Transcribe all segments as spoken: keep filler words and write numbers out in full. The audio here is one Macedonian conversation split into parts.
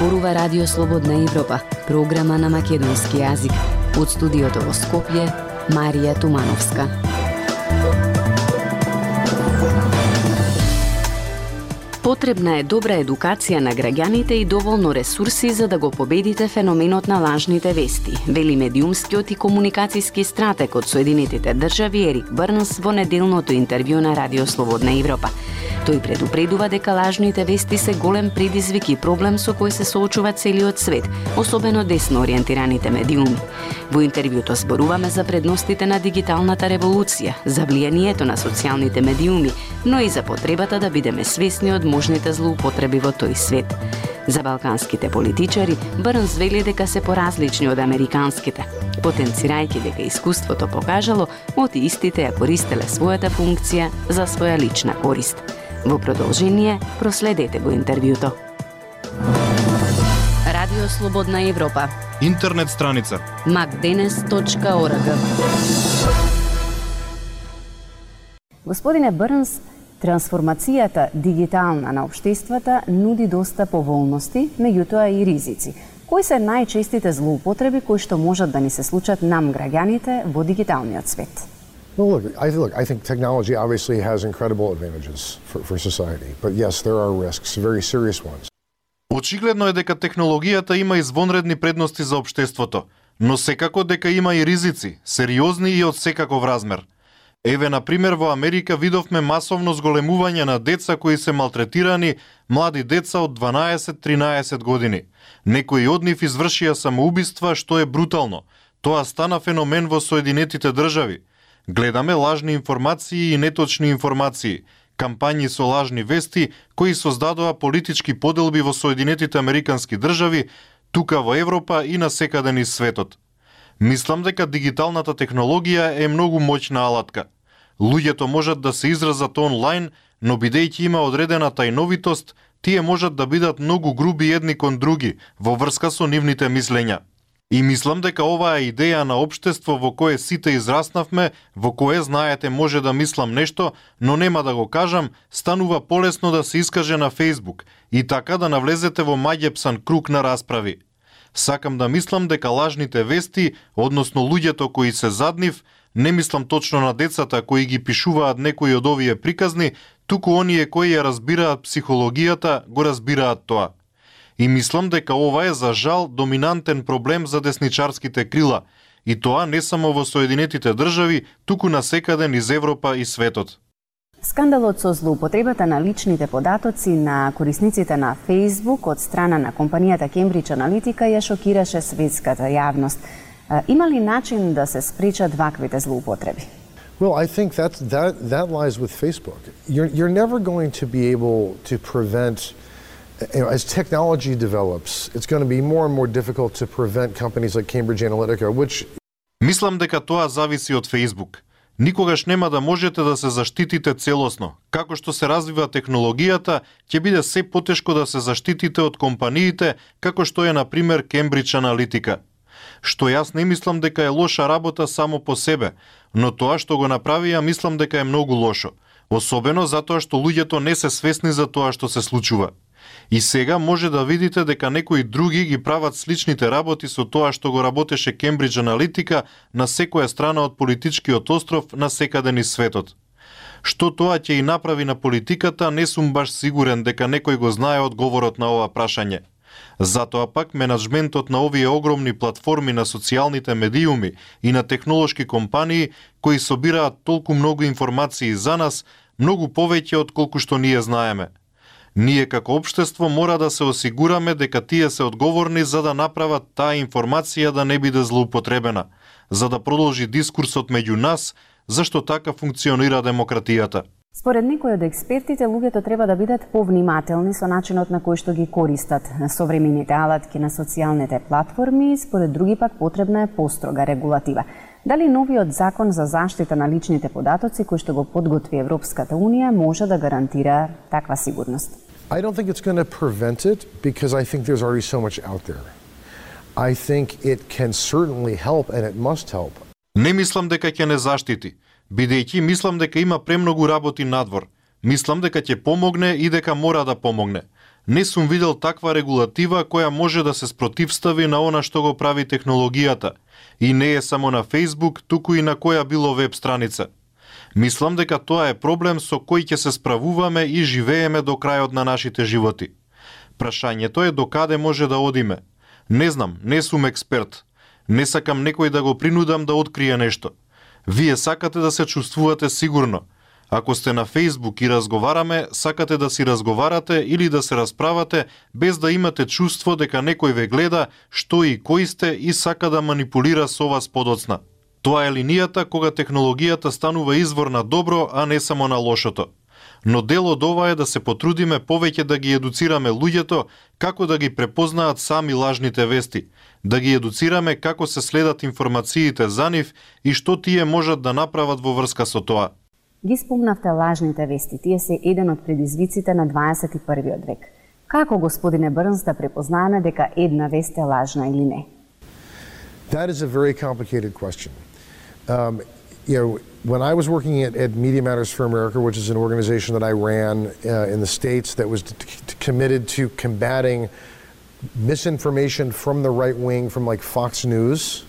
Зборува Радио Слободна Европа, програма на македонски јазик. Од студиото во Скопје, Марија Тумановска. Потребна е добра едукација на граѓаните и доволно ресурси за да го победите феноменот на лажните вести, вели медиумскиот и комуникацијски стратег од Соединетите држави Ерик Брнс во неделното интервју на Радио Слободна Европа. Тој предупредува дека лажните вести се голем предизвик и проблем со кој се соочува целиот свет, особено десно ориентираните медиуми. Во интервјуто зборуваме за предностите на дигиталната револуција, за влијанието на социјалните медиуми, но и за потребата да бидеме свесни од можните злоупотреби во тој свет. За балканските политичари, Брнс вели дека се поразлични од американските, потенцирајќи дека искуството покажало од истите ја користеле својата функција за своја лична корист. Во продолжение, проследете го интервјуто. Радио Слободна Европа. Интернет страница макденес точка орг. Господине Брнс, трансформацијата дигитална на општествата нуди доста поволности, меѓутоа и ризици. Кои се најчестите злоупотреби кои што можат да ни се случат нам граѓаните во дигиталниот свет? Well, look, I, look, I think technology obviously has incredible advantages for, for society, but yes, there are risks, very serious ones. Очигледно е дека технологијата има извонредни предности за општеството, но секако дека има и ризици, сериозни и од секаков размер. Еве, на пример, во Америка видовме масовно зголемување на деца кои се малтретирани, млади деца од дванаесет до тринаесет години. Некои од нив извршија самоубиства, што е брутално. Тоа стана феномен во Соединетите држави. Гледаме лажни информации и неточни информации, кампањи со лажни вести кои создадоа политички поделби во Соединетите Американски држави, тука во Европа и насекаде низ светот. Мислам дека дигиталната технологија е многу моќна алатка. Луѓето можат да се изразат онлайн, но бидејќи има одредена тајновитост, тие можат да бидат многу груби едни кон други во врска со нивните мислења. И мислам дека оваа идеја на општество во кое сите израснавме, во кое, знаете, може да мислам нешто, но нема да го кажам, станува полесно да се искаже на Facebook и така да навлезете во маѓепсан круг на расправи. Сакам да мислам дека лажните вести, односно луѓето кои се зад нив, не мислам точно на децата кои ги пишуваат некои од овие приказни, туку оние кои ја разбираат психологијата, го разбираат тоа. И мислам дека ова е за жал доминантен проблем за десничарските крила, и тоа не само во Соединетите држави, туку насекаде низ Европа и светот. Скандалот со злоупотребата на личните податоци на корисниците на Facebook од страна на компанијата Cambridge Analytica ја шокираше светската јавност. Има ли начин да се спречат ваквите злоупотреби? Well, I think that's, that, that lies with Facebook. You're, you're never going to be able to prevent, you know, as technology develops, it's going to be more and more difficult to prevent companies like Cambridge Analytica, which... Мислам дека тоа зависи од Facebook. Никогаш нема да можете да се заштитите целосно. Како што се развива технологијата, ќе биде се потешко да се заштитите од компаниите, како што е, на пример, Cambridge Analytica. Што јас не мислам дека е лоша работа само по себе, но тоа што го направија мислам дека е многу лошо, особено затоа што луѓето не се свесни за тоа што се случува. И сега може да видите дека некои други ги прават сличните работи со тоа што го работеше Cambridge Analytica на секоја страна од политичкиот остров на секаде низ светот. Што тоа ќе и направи на политиката, не сум баш сигурен дека некој го знае одговорот на ова прашање. Затоа пак менаџментот на овие огромни платформи на социјалните медиуми и на технолошки компании кои собираат толку многу информации за нас, многу повеќе од колку што ние знаеме. Ние како општество мора да се осигураме дека тие се одговорни за да направат таа информација да не биде злоупотребена, за да продолжи дискурсот меѓу нас, зашто така функционира демократијата. Според некои од експертите, луѓето треба да бидат повнимателни со начинот на кој што ги користат современите алатки на социјалните платформи, според други пак потребна е построга регулатива. Дали новиот закон за заштита на личните податоци кој што го подготви Европската унија може да гарантира таква сигурност? I don't think it's going to prevent it because I think there's already so much out there. I think it can certainly help and it must help. Не мислам дека ќе не заштити, бидејќи мислам дека има премногу работи надвор. Мислам дека ќе помогне и дека мора да помогне. не сум видел таква регулатива која може да се спротивстави на она што го прави технологијата. И не е само на Facebook, туку и на која било веб страница. Мислам дека тоа е проблем со кој ќе се справуваме и живееме до крајот на нашите животи. Прашањето е до каде може да одиме. Не знам, не сум експерт. Не сакам некој да го принудам да открие нешто. Вие сакате да се чувствувате сигурно. Ако сте на Facebook и разговараме, сакате да си разговарате или да се расправате без да имате чувство дека некој ве гледа што и кој сте и сака да манипулира со вас подоцна. Тоа е линијата кога технологијата станува извор на добро, а не само на лошото. Но дел од ова е да се потрудиме повеќе да ги едуцираме луѓето како да ги препознаат сами лажните вести, да ги едуцираме како се следат информациите за нив и што тие можат да направат во врска со тоа. Ги спомнавте лажните вести, тие се еден од предизвиците на дваесет и првиот век. Како, господине Брнс, да препознаеме дека една вест е лажна или не? That is a very complicated question. Um, you know, when I was working at, at Media Matters for America, which is an organization that I ran uh, in the States that was committed to combating misinformation from the right wing, from like Fox News.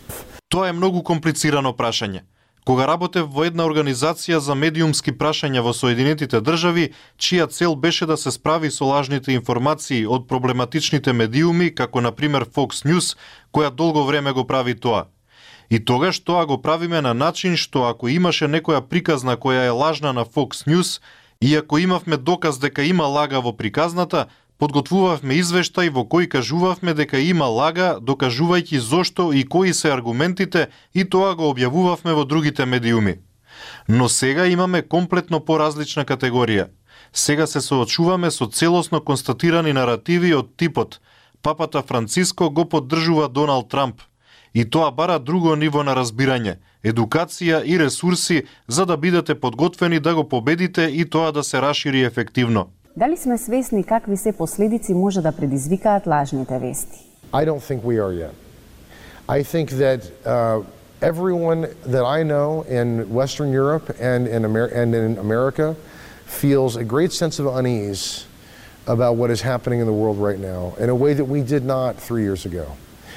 Тоа е многу комплицирано прашање. Кога работев во една организација за медиумски прашања во Соединетите држави, чија цел беше да се справи со лажните информации од проблематичните медиуми, како на пример Fox News, која долго време го прави тоа. И тогаш тоа го правиме на начин што ако имаше некоја приказна која е лажна на Fox News, и ако имавме доказ дека има лага во приказната, подготвувавме извештај во кој кажувавме дека има лага, докажувајќи зошто и кои се аргументите, и тоа го објавувавме во другите медиуми. Но сега имаме комплетно поразлична категорија. Сега се соочуваме со целосно констатирани наративи од типот Папата Франциско го поддржува Доналд Трамп. И тоа бара друго ниво на разбирање, едукација и ресурси за да бидете подготвени да го победите и тоа да се рашири ефективно. Дали сме свесни какви се последици може да предизвикаат лажните вести? I don't think we are yet. I think that uh, everyone that I know in Western Europe and in, Amer- and in America feels a great sense of unease about what is happening in the world right now in a way that we did not three years ago.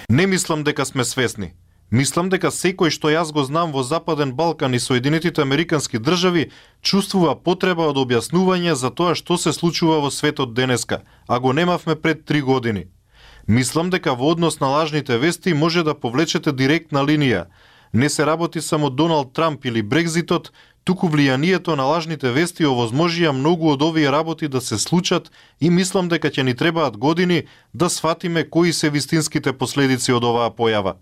Не мислам дека сме свесни. Мислам дека секој што јас го знам во Западен Балкан и Соединетите Американски држави чувствува потреба од објаснување за тоа што се случува во светот денеска, а го немавме пред три години. Мислам дека во однос на лажните вести може да повлечете директна линија. Не се работи само Доналд Трамп или Брекзитот, туку влијанието на лажните вести овозможија многу од овие работи да се случат и мислам дека ќе ни требаат години да сфатиме кои се вистинските последици од оваа појава.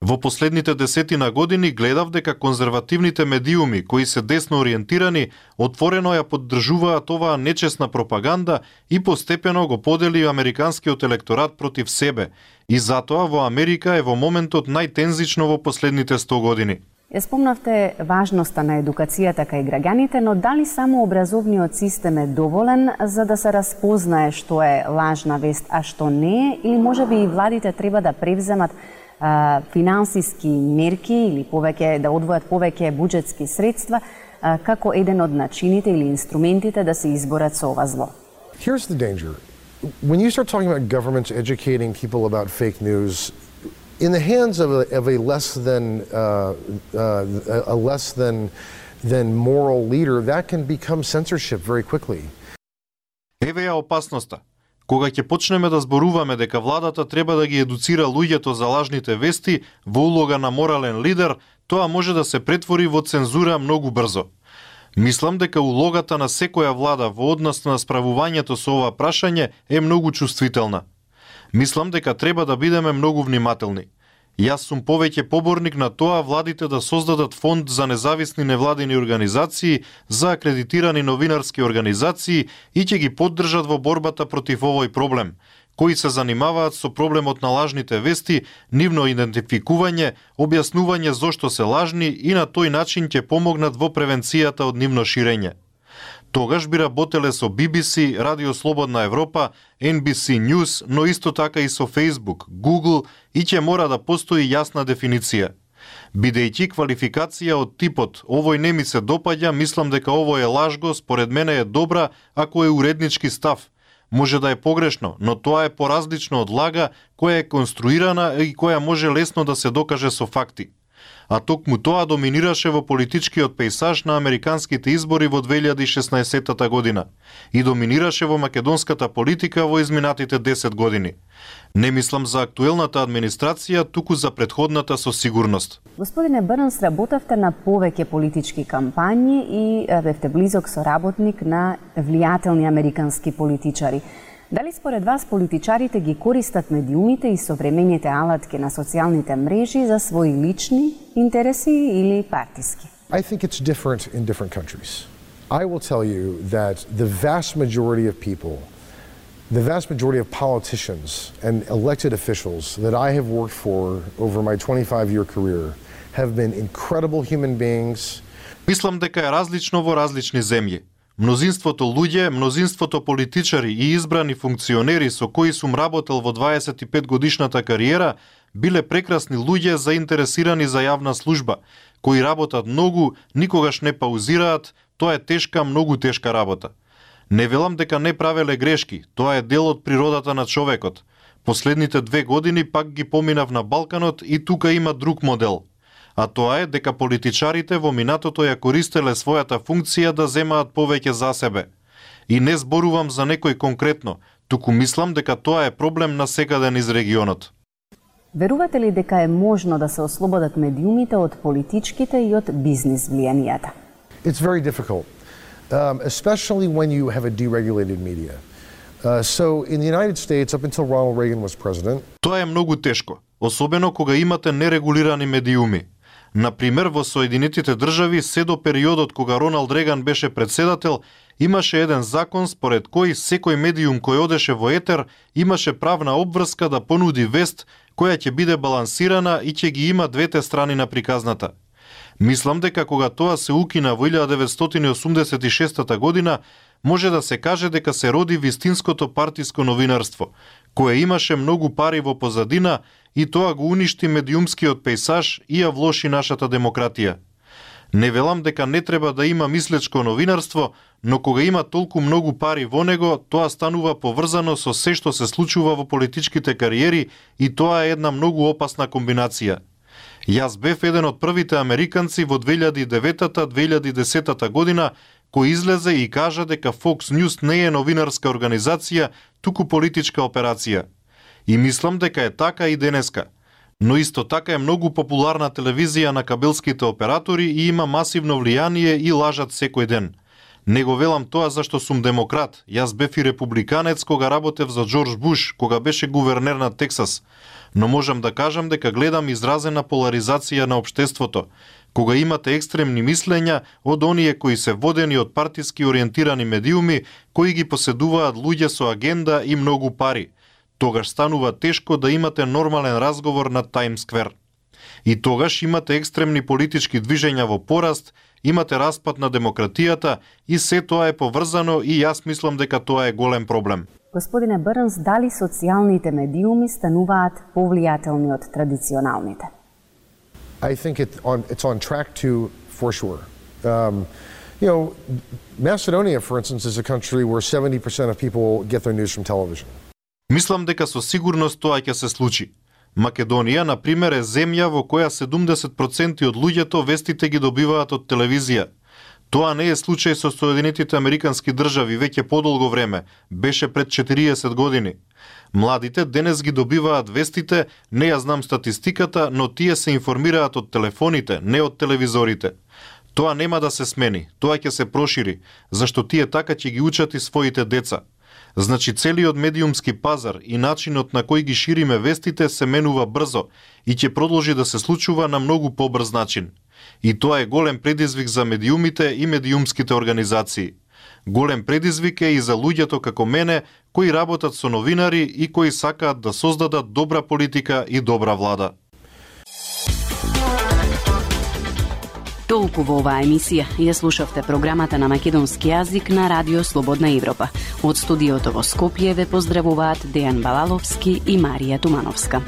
Во последните десетина години гледав дека конзервативните медиуми, кои се десно ориентирани, отворено ја поддржуваат оваа нечесна пропаганда и постепено го подели американскиот електорат против себе. И затоа во Америка е во моментот најтензично во последните сто години. Ја спомнавте важноста на едукацијата кај граѓаните, но дали само образовниот систем е доволен за да се распознае што е лажна вест, а што не е, или можеби и владите треба да превземат а, финансиски мерки или повеќе да одвојат повеќе буџетски средства а, како еден од начините или инструментите да се изборат со ова зло? Here's the danger. When you start talking about governments educating people about fake news, in the hands of a, of a less than uh, uh, a less than than moral leader, that can become censorship very quickly. Еве ја опасноста. Кога ќе почнеме да зборуваме дека владата треба да ги едуцира луѓето за лажните вести во улога на морален лидер, тоа може да се претвори во цензура многу брзо. Мислам дека улогата на секоја влада во однос на справувањето со ова прашање е многу чувствителна. Мислам дека треба да бидеме многу внимателни. Јас сум повеќе поборник на тоа владите да создадат фонд за независни невладини организации, за акредитирани новинарски организации и ќе ги поддржат во борбата против овој проблем, кои се занимаваат со проблемот на лажните вести, нивно идентификување, објаснување зошто се лажни и на тој начин ќе помогнат во превенцијата од нивно ширење. Тогаш би работеле со Би Би Си, Радио Слободна Европа, Ен Би Си News, но исто така и со Facebook, Google и ќе мора да постои јасна дефиниција. Бидејќи квалификација од типот овој не ми се допаѓа, мислам дека овој е лажго, според мене е добра ако е уреднички став. може да е погрешно, но тоа е поразлично од лага која е конструирана и која може лесно да се докаже со факти. А токму тоа доминираше во политичкиот пејсаж на американските избори во две илјади и шеснаесетта година и доминираше во македонската политика во изминатите десет години. Не мислам за актуелната администрација, туку за претходната со сигурност. Господине Брнс, работевте на повеќе политички кампањи и бевте близок соработник на влијателни американски политичари. Дали според вас политичарите ги користат медиумите и современите алатки на социјалните мрежи за своји лични интереси или партиски? I think it's different in different countries. I will tell you that the vast majority of people, the vast majority of politicians and elected officials that I have worked for over my twenty-five year career have been incredible human beings. Мислам дека е различно во различни земји. Мнозинството луѓе, мнозинството политичари и избрани функционери со кои сум работел во дваесет и пет годишната кариера биле прекрасни луѓе заинтересирани за јавна служба, кои работат многу, никогаш не паузираат, тоа е тешка, многу тешка работа. Не велам дека не правеле грешки, тоа е дел од природата на човекот. Последните две години пак ги поминав на Балканот и тука има друг модел. А тоа е дека политичарите во минатото ја користеле својата функција да земаат повеќе за себе. И не зборувам за некој конкретно, туку мислам дека тоа е проблем на секаден из регионот. Верувате ли дека е можно да се ослободат медиумите од политичките и од бизнис влијанијата? It's very difficult, um, especially when you have a deregulated media. Uh, so in the United States, up until Ronald Reagan was president, тоа е многу тешко, особено кога имате нерегулирани медиуми. Например, во Соединетите држави, се до периодот кога Роналд Реган беше председател, имаше еден закон според кој секој медиум кој одеше во етер имаше правна обврска да понуди вест која ќе биде балансирана и ќе ги има двете страни на приказната. Мислам дека кога тоа се укина во илјада деветстотини осумдесет и шеста година, може да се каже дека се роди вистинското партиско новинарство, кое имаше многу пари во позадина и тоа го уништи медиумскиот пејсаж и ја влоши нашата демократија. Не велам дека не треба да има мислечко новинарство, но кога има толку многу пари во него, тоа станува поврзано со се што се случува во политичките кариери и тоа е една многу опасна комбинација. Јас бев еден од првите американци во две илјади и девета - две илјади и десета година кој излезе и кажа дека Fox News не е новинарска организација, туку политичка операција. И мислам дека е така и денеска. Но исто така е многу популарна телевизија на кабелските оператори и има масивно влијание и лажат секој ден. Не го велам тоа зашто сум демократ. Јас бев и републиканец кога работев за Џорџ Буш, кога беше гувернер на Тексас. Но можам да кажам дека гледам изразена поларизација на општеството, кога имате екстремни мислења од оние кои се водени од партиски ориентирани медиуми, кои ги поседуваат луѓе со агенда и многу пари. Тогаш станува тешко да имате нормален разговор на Тајм Сквер. И тогаш имате екстремни политички движења во пораст, имате распад на демократијата и се тоа е поврзано и јас мислам дека тоа е голем проблем. Господине Брнс, дали социјалните медиуми стануваат повлијателни од традиционалните? I think it on, it's on track to, for sure. Um, you know, Macedonia, for instance, is a country where seventy percent of people get their news from television. Мислам дека со сигурност тоа ќе се случи. Македонија, на пример, е земја во која седумдесет проценти од луѓето вестите ги добиваат од телевизија. Тоа не е случај со Соединетите Американски држави веќе подолго време, беше пред четириесет години. Младите денес ги добиваат вестите, не ја знам статистиката, но тие се информираат од телефоните, не од телевизорите. Тоа нема да се смени, тоа ќе се прошири, зашто тие така ќе ги учат и своите деца. Значи целиот медиумски пазар и начинот на кој ги шириме вестите се менува брзо и ќе продолжи да се случува на многу побрз начин. И тоа е голем предизвик за медиумите и медиумските организации. Голем предизвик е и за луѓето како мене, кои работат со новинари и кои сакаат да создадат добра политика и добра влада. Толку во оваа емисија ја слушавте програмата на македонски јазик на Радио Слободна Европа. Од студиото во Скопје ве поздравуваат Дејан Балаловски и Марија Тумановска.